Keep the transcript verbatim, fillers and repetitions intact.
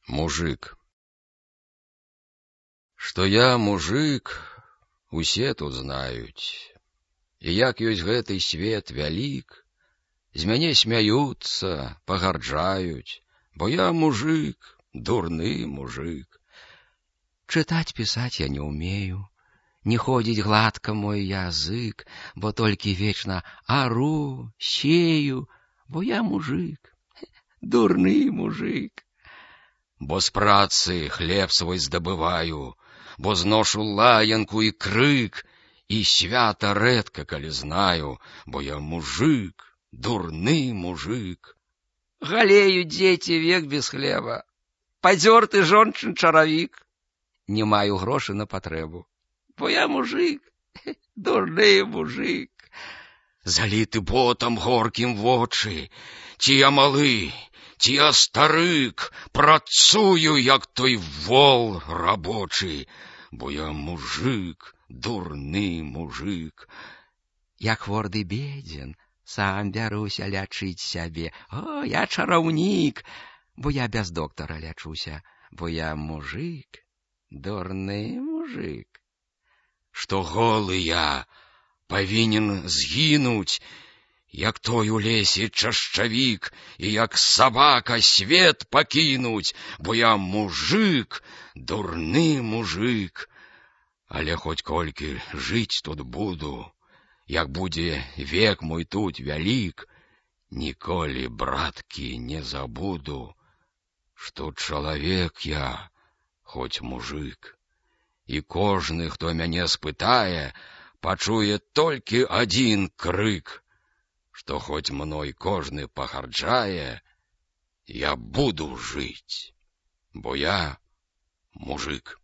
Мужик. Што я мужик, усе тут знаюць. І як ёсць гэты свет вялік, з мяне смяюцца, пагарджаюць, бо я мужик, дурны мужик. Чытаць, пісаць я не умею, не ходзіць гладка мой язык, бо толькі вечна ару, сею, бо я мужик, дурны мужик. Бо з працы хлеб свой здабываю, бо зношу лаянку і крык, і свята рэдка, калі знаю, бо я мужик, дурны мужик. Галеют дзеці век без хлеба, падзёрты жончын чаравік. Не маю грошы на патрэбу, бо я мужик, дурны мужик. Заліты потам горкім вочы, ці я малы, ці я старык, працую, як той вол рабочы, бо я мужик, дурны мужик. Як хворы бедзен, сам бяруся лячыць сябе. О, я чараўнік, бо я без доктара лячуся, бо я мужик, дурны мужик. Што голы я павінен згінуць, як той у лесе чашчавік, і як сабака свет пакінуць, бо я мужик, дурны мужик. Але хоць колькі жыць тут буду, як будзе век мой тут вялік, ніколі, браткі, не забуду, што чалавек я, хоць мужик. І кожны, хто мяне спытае, пачуе толькі адзін крык, што хоць мной кожны пагарджае, я буду жыць, бо я мужик.